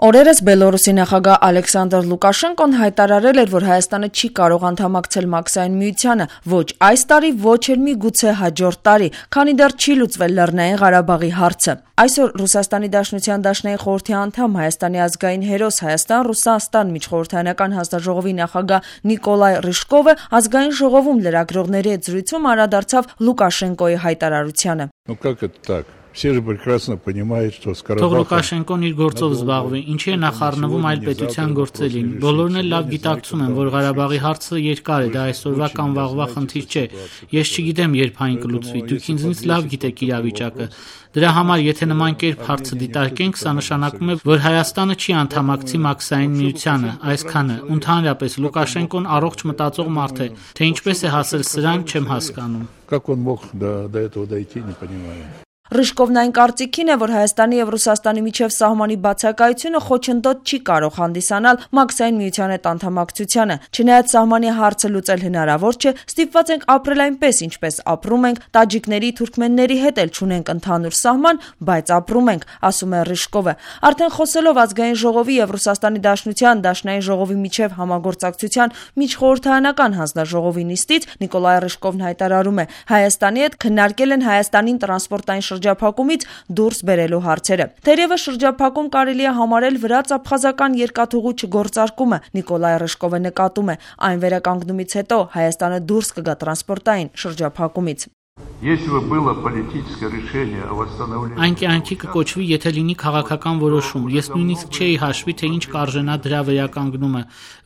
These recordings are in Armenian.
Օրերս Բելորուսի նախագահ Ալեքսանդր Լուկաշենկոն հայտարարել էր, որ Հայաստանը չի կարող անդամակցել Մաքսային միությանը ոչ այս տարի, ոչ էլ միգուցե հաջորդ տարի, քանի դեռ չի լուծվել Լեռնային Ղարաբաղի հարցը։ Այսօր Ռուսաստանի Դաշնության Դաշնային խորհրդի անդամ Հայաստանի ազգային հերոս Հայաստան-Ռուսաստան միջխորհրդարանական հանձնաժողովի նախագահ Նիկոլայ Ռիժկովը ազգային ժողովում լրագրողների հետ զրույցում անդրադարձավ Լուկաշենկոյի հայտարարությանը։ Թող Լուկաշենկոն իր գործով զբաղվի, ինչի է նախառնվում այլ պետության գործելին։ Բոլորն էլ լավ գիտակցում են, որ Ղարաբաղի հարցը երկար է, դա այսօրվա կամ վաղվա խնդիր չէ։ Ես չգիտեմ, երբ այն կլուծվի, դուք ինձնից լավ գիտեք իրավիճակը։ Դրա համար, եթե նման կերպ հարցը դիտարկենք, սա նշանակում է, որ Հայաստանը չի անդամակցի Մաքսային միությանը, այսքանը։ Ընդհանրապես Լուկաշենկոն առողջ մտածող մարդ է, թե ինչպես է հասել սրան, չեմ հասկանում։ Ռիժկովն այն կարծիքին է, որ Հայաստանի եւ Ռուսաստանի միջև սահմանի բացակայությունը խոչընդոտ չի կարող հանդիսանալ Մաքսային միության հետ անդամակցությանը։ Չնայած սահմանի հարցը լուծել հնարավոր չէ, ստիպված ենք ապրել այնպես, ինչպես ապրում ենք, տաջիկների, թուրքմենների հետ էլ չունենք ընդհանուր սահման, բայց ապրում ենք, ասում է Ռիժկովը։ Արդեն խոսելով ազգային ժողովի եւ Ռուսաստանի Դաշնության Դաշնային ժողովի միջև համագործակցության միջխորհրդարանական հանձնաժողովի նիստից Նիկոլայ Ռիժկովն հայտարարում է. Հայաստանի հետ քննարկել են Հայաստանին տրանսպորտային շրջափակումից դուրս բերելու հարցերը։ Թերևս շրջափակում կարելի է համարել վրաց-աբխազական երկաթուղու չգործարկումը, Նիկոլայ Ռիժկովը նկատում է, այն վերականգնումից հետո Հայաստանը դուրս կգա տրանսպորտային շրջափակումից։ Այն կյանքի կկոչվի, եթե լինի քաղաքական որոշում։ Ես նույնիսկ չէի հաշվի, թե ինչ կարժենա դրա վերականգնումը,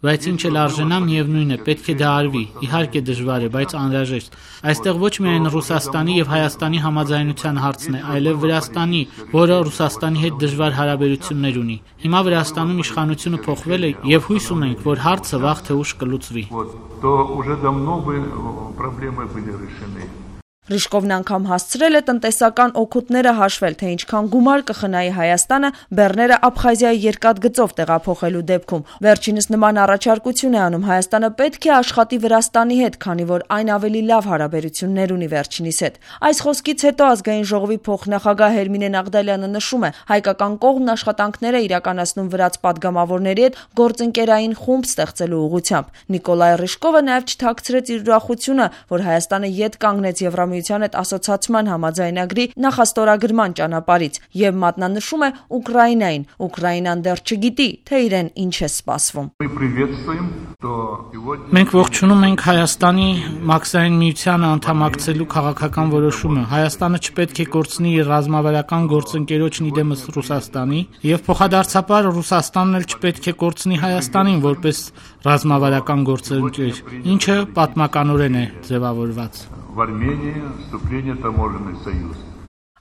բայց ինչ էլ արժենա, միևնույն է, պետք է դա արվի։ Իհարկե դժվար է, բայց անհրաժեշտ։ Այստեղ ոչ միայն Ռուսաստանի եւ Հայաստանի համաձայնության հարցն է, այլև Վրաստանի, որը Ռուսաստանի հետ դժվար հարաբերություններ ունի։ Հիմա Վրաստանում իշխանությունը փոխվել է եւ հույս ունենք, որ հարցը վաղ թե ուշ կլուծվի։ Ռիժկովն անգամ հասցրել է տնտեսական օգուտները հաշվել, թե ինչքան գումար կխնայի Հայաստանը բեռները Աբխազիայի երկաթգծով տեղափոխելու դեպքում։ Վերջինս նման առաջարկություն է անում. Հայաստանը պետք է աշխատի Վրաստանի հետ, քանի որ այն ավելի լավ հարաբերություններ ունի վերջինիս հետ։ Այս խոսքից հետո ազգային ժողովի փոխնախագահ Հերմինե Նաղդալյանը նշում է. հայկական կողմն աշխատանքներ է իրականացնում վրաց պատգամավորների հետ գործընկերային խումբ ստեղծելու ուղղությամբ։ Նիկոլայ Ռիժկովը նաև չթաքցրեց իր ուրախությունը, որ Հայաստանը ետ կանգնեց Եվրամիության հետ ասոցիացման համաձայնագրի նախաստորագրման ճանապարհից եւ մատնանշում է Ուկրաինային։ Ուկրաինան դեռ չգիտի, թե իրեն ինչ է սպասվում։ Մենք ողջունում ենք Հայաստանի Մաքսային միությանը անդամակցելու քաղաքական որոշումը։ Հայաստանը չպետք է կորցնի իր ռազմավարական գործընկերոջն իդեմս Ռուսաստանի եւ փոխադարձաբար Ռուսաստանն էլ չպետք է կորցնի Հայաստանին որպես ռազմավարական գործընկեր, ինչը պատմականորեն է ձևավորված։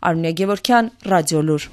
Արմինե Գևորգյան, Ռադիոլուր։